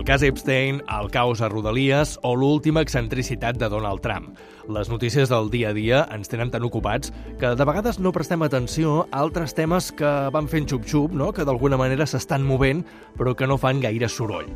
El cas Epstein, el caos a Rodalies o l'última excentricitat de Donald Trump. Les notícies del dia a dia ens tenen tan ocupats que de vegades no prestem atenció a altres temes que van fent xup-xup, no? Que d'alguna manera s'estan movent però que no fan gaire soroll.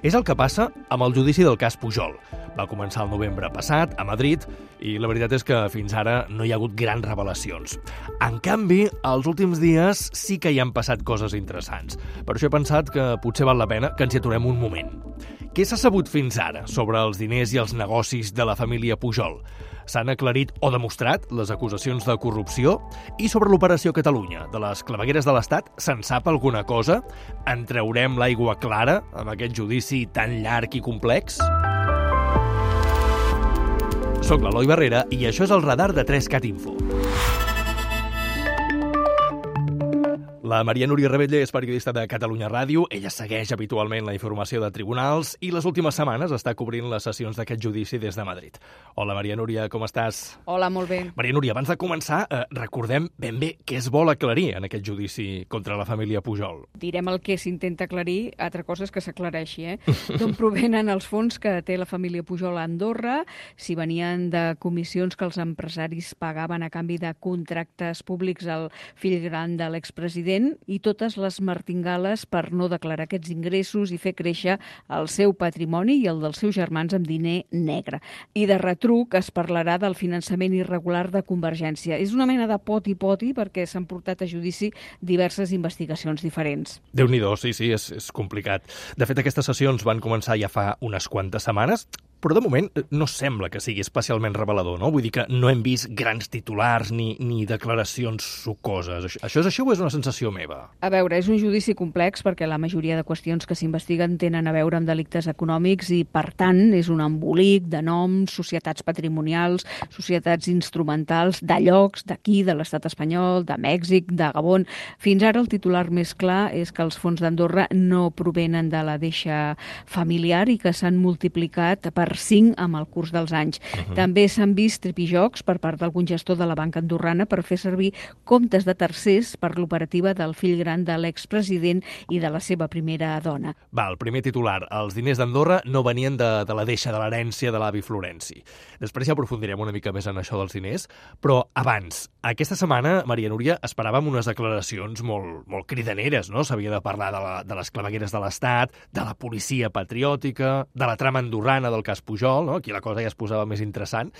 És el que passa amb el judici del cas Pujol. Va començar el novembre passat, a Madrid, i la veritat és que fins ara no hi ha hagut grans revelacions. En canvi, els últims dies sí que hi han passat coses interessants. Per això he pensat que potser val la pena que ens hi aturem un moment. Què s'ha sabut fins ara sobre els diners i els negocis de la família Pujol? S'han aclarit o demostrat les acusacions de corrupció? I sobre l'Operació Catalunya, de les clavegueres de l'Estat, se'n sap alguna cosa? En traurem l'aigua clara amb aquest judici tan llarg i complex? Soc l'Eloi Barrera i això és el radar de 3Cat Info. La Maria Núria Rebetlle és periodista de Catalunya Ràdio. Ella segueix habitualment la informació de tribunals i les últimes setmanes està cobrint les sessions d'aquest judici des de Madrid. Hola, Maria Núria, com estàs? Hola, molt bé. Maria Núria, abans de començar, recordem ben bé què es vol aclarir en aquest judici contra la família Pujol. Direm el que s'intenta aclarir, altra cosa és que s'aclareixi, D'on provenen els fons que té la família Pujol a Andorra, si venien de comissions que els empresaris pagaven a canvi de contractes públics al fill gran de l'expresident, i totes les martingales per no declarar aquests ingressos i fer créixer el seu patrimoni i el dels seus germans amb diner negre. I de retruc es parlarà del finançament irregular de Convergència. És una mena de poti-poti perquè s'han portat a judici diverses investigacions diferents. Déu-n'hi-do, sí, és complicat. De fet, aquestes sessions van començar ja fa unes quantes setmanes, però de moment no sembla que sigui especialment revelador, no? Vull dir que no hem vist grans titulars ni declaracions sucoses. Això és així o és una sensació meva? A veure, és un judici complex perquè la majoria de qüestions que s'investiguen tenen a veure amb delictes econòmics i, per tant, és un embolic de noms, societats patrimonials, societats instrumentals, de llocs d'aquí, de l'estat espanyol, de Mèxic, de Gabon. Fins ara el titular més clar és que els fons d'Andorra no provenen de la deixa familiar i que s'han multiplicat per 5 amb el curs dels anys. També s'han vist tripijocs per part d'algun gestor de la banca andorrana per fer servir comptes de tercers per l'operativa del fill gran de l'expresident i de la seva primera dona. El primer titular. Els diners d'Andorra no venien de la deixa, de l'herència de l'avi Florenci. Després ja aprofundirem una mica més en això dels diners, però abans, aquesta setmana, Maria Núria, esperàvem unes declaracions molt cridaneres, no? S'havia de parlar de les clavegueres de l'Estat, de la policia patriòtica, de la trama andorrana del cas Pujol, no? Aquí la cosa ja es posava més interessant,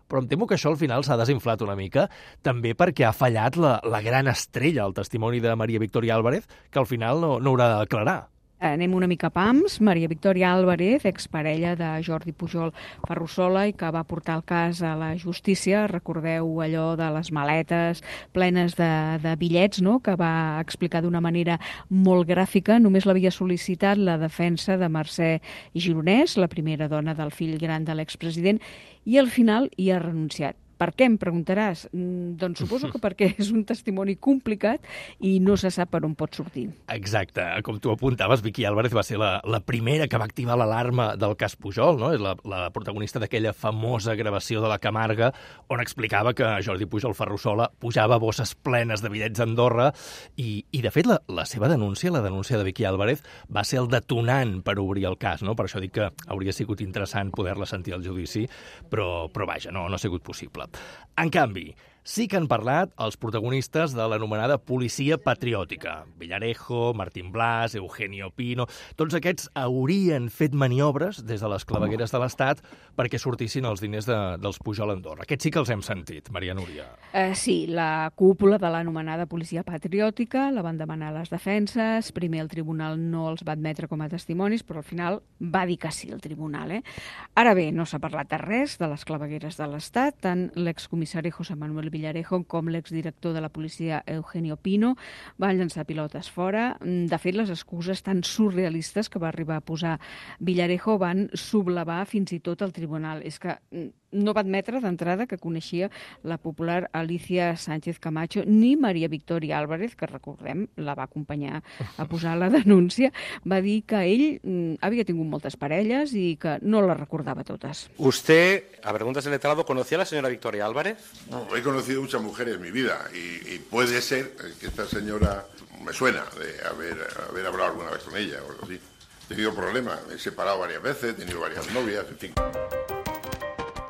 però em temo que això al final s'ha desinflat una mica, també perquè ha fallat la gran estrella, el testimoni de Maria Victòria Álvarez, que al final no haurà de declarar. Anem una mica a pams. Maria Victòria Álvarez, exparella de Jordi Pujol Ferrusola i que va portar el cas a la justícia. Recordeu allò de les maletes plenes de bitllets, no?, que va explicar d'una manera molt gràfica. Només l'havia sol·licitat la defensa de Mercè Gironès, la primera dona del fill gran de l'expresident, i al final hi ha renunciat. Per què, em preguntaràs? Doncs suposo que perquè és un testimoni complicat i no se sap per on pot sortir. Exacte. Com tu apuntaves, Vicky Álvarez va ser la primera que va activar l'alarma del cas Pujol, no? És la protagonista d'aquella famosa gravació de la Camarga on explicava que Jordi Pujol Ferrusola pujava bosses plenes de bitllets a Andorra i de fet, la seva denúncia, la denúncia de Vicky Álvarez, va ser el detonant per obrir el cas, no? Per això dic que hauria sigut interessant poder-la sentir al judici, però vaja, no ha sigut possible. En canvi, sí que han parlat els protagonistes de l'anomenada policia patriòtica. Villarejo, Martín Blas, Eugenio Pino... Tots aquests haurien fet maniobres des de les clavegueres de l'Estat perquè sortissin els diners dels Pujol a Andorra. Aquests sí que els hem sentit, Maria Núria. Sí, la cúpula de l'anomenada policia patriòtica la van demanar les defenses. Primer el tribunal no els va admetre com a testimonis, però al final va dir que sí el tribunal. Ara bé, no s'ha parlat de res de les clavegueres de l'Estat. Tant l'excomissari José Manuel Villarejo com l'exdirector de la policia Eugenio Pino van llançar pilotes fora. De fet, les excuses tan surrealistes que va arribar a posar Villarejo van sublevar fins i tot el tribunal. És que no va admetre d'entrada que coneixia la popular Alicia Sánchez Camacho ni Maria Victòria Álvarez, que recordem, la va acompanyar a posar la denúncia. Va dir que ell havia tingut moltes parelles i que no les recordava totes. ¿Usted, a preguntas del letrado, conocía a la señora Victoria Álvarez? No, he conocido muchas mujeres en mi vida y puede ser que esta señora me suena de haber hablado alguna vez con ella o algo así. He tenido problemas, me he separado varias veces, he tenido varias novias, en fin.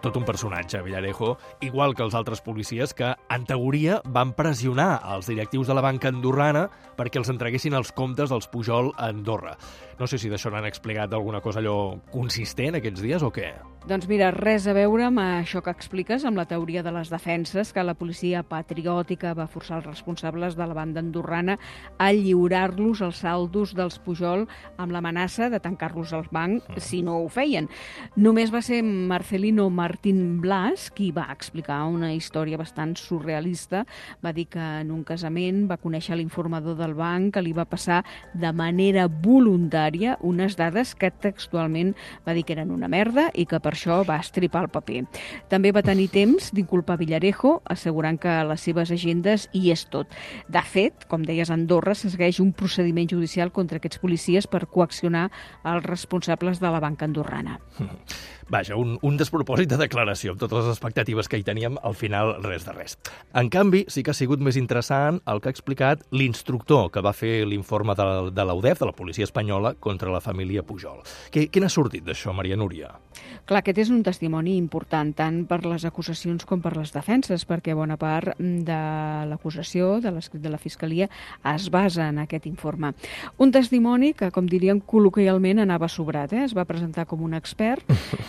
Tot un personatge, Villarejo, igual que els altres policies que, en teoria, van pressionar els directius de la banca andorrana perquè els entreguessin els comptes dels Pujol a Andorra. No sé si d'això n'han explicat alguna cosa allò consistent aquests dies o què? Doncs mira, res a veure amb això que expliques, amb la teoria de les defenses, que la policia patriòtica va forçar els responsables de la banda andorrana a lliurar-los els saldos dels Pujol amb l'amenaça de tancar-los al banc si no ho feien. Només va ser Marcelino Martín Blas qui va explicar una història bastant surrealista. Va dir que en un casament va conèixer l'informador del banc que li va passar de manera voluntària unes dades que textualment va dir que eren una merda i que per això va estripar el paper. També va tenir temps d'inculpar Villarejo, assegurant que a les seves agendes hi és tot. De fet, com deies, a Andorra se segueix un procediment judicial contra aquests policies per coaccionar els responsables de la banca andorrana. Vaja, un despropòsit de declaració, amb totes les expectatives que hi teníem, al final res de res. En canvi, sí que ha sigut més interessant el que ha explicat l'instructor que va fer l'informe de l'UDEF, de la policia espanyola, contra la família Pujol. Què n'ha sortit d'això, Maria Núria? Clar, aquest és un testimoni important tant per les acusacions com per les defenses, perquè bona part de l'acusació, de l'escrit de la Fiscalia, es basa en aquest informe. Un testimoni que, com diríem col·loquialment, anava sobrat. Es va presentar com un expert,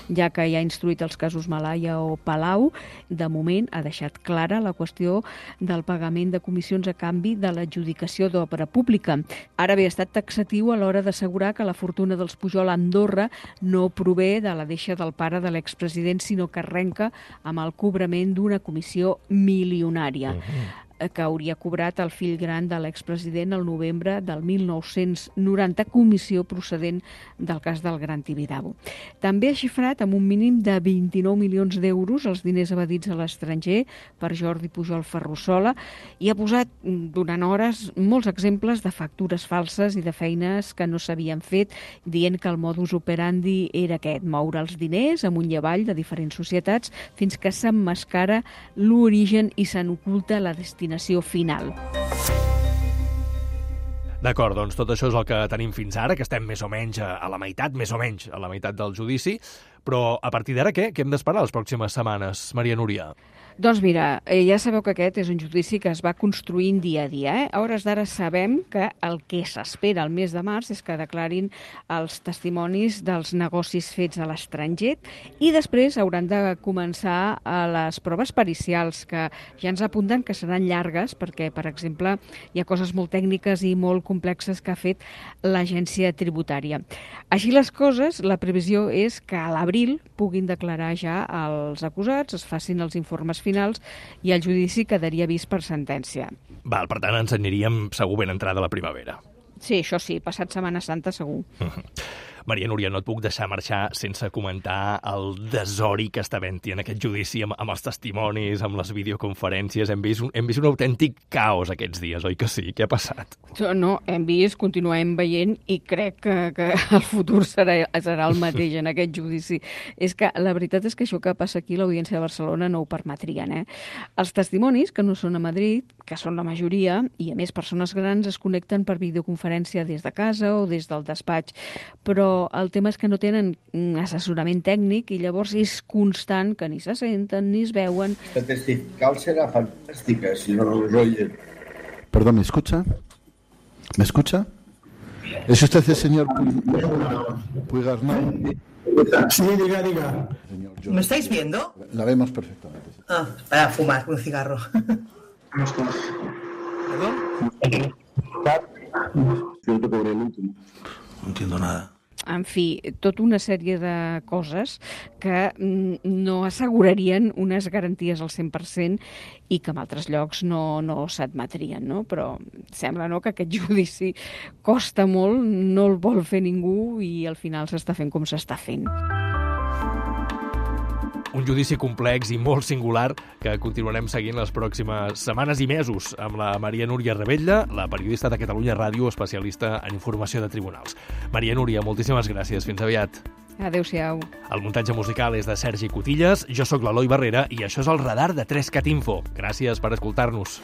ja que ja ha instruït els casos Malaya o Palau. De moment ha deixat clara la qüestió del pagament de comissions a canvi de l'adjudicació d'obra pública. Ara bé, ha estat taxatiu a l'hora d'assegurar que la fortuna dels Pujol a Andorra no prové de la deixa del pare de l'expresident, sinó que arrenca amb el cobrament d'una comissió milionària que hauria cobrat el fill gran de l'expresident el novembre del 1990, comissió procedent del cas del Gran Tibidabo. També ha xifrat amb un mínim de 29 milions d'euros els diners evadits a l'estranger per Jordi Pujol Ferrusola i ha posat durant hores molts exemples de factures falses i de feines que no s'havien fet, dient que el modus operandi era aquest, moure els diners amunt i avall de diferents societats fins que s'emmascara l'origen i se n'oculta la destinació final. D'acord, doncs tot això és el que tenim fins ara, que estem més o menys a la meitat, del judici, però a partir d'ara què? Què hem d'esperar les pròximes setmanes, Maria Núria? Doncs mira, ja sabeu que aquest és un judici que es va construint dia a dia. A hores d'ara sabem que el que s'espera el mes de març és que declarin els testimonis dels negocis fets a l'estranger i després hauran de començar les proves pericials, que ja ens apunten que seran llargues perquè, per exemple, hi ha coses molt tècniques i molt complexes que ha fet l'agència tributària. Així les coses, la previsió és que a l'abril puguin declarar ja els acusats, es facin els informes finals i el judici quedaria vist per sentència. Val, per tant, ens aniríem segur ben entrada a la primavera. Sí, això sí, passat Setmana Santa segur. Maria Núria, no et puc deixar marxar sense comentar el desori que està havent-hi en aquest judici amb els testimonis, amb les videoconferències. Hem vist un autèntic caos aquests dies, oi que sí? Què ha passat? No, hem vist, continuem veient i crec que el futur serà el mateix en aquest judici. És que la veritat és que això que passa aquí, l'Audiència de Barcelona no ho permetrien. Els testimonis, que no són a Madrid, que són la majoria, i a més persones grans, es connecten per videoconferència des de casa o des del despatx, però el tema és que no tenen assessorament tècnic i llavors és constant que ni se senten ni es veuen. La testifical será fantástica si no nos oyen. Perdón, ¿me escucha? ¿Me escucha? ¿Es usted el señor Puigdemont? Sí, diga. ¿Me estáis viendo? La vemos perfectamente. Para fumar un cigarro. ¿Perdón? No entiendo nada. En fi, tota una sèrie de coses que no assegurarien unes garanties al 100% i que en altres llocs no s'admetrien, no? Però sembla que aquest judici costa molt, no el vol fer ningú i al final s'està fent com s'està fent. Un judici complex i molt singular que continuarem seguint les pròximes setmanes i mesos amb la Maria Núria Rebetlla, la periodista de Catalunya Ràdio, especialista en informació de tribunals. Maria Núria, moltíssimes gràcies. Fins aviat. Adéu-siau. El muntatge musical és de Sergi Cotillas, jo sóc l'Eloi Barrera i això és el radar de 3CAT Info. Gràcies per escoltar-nos.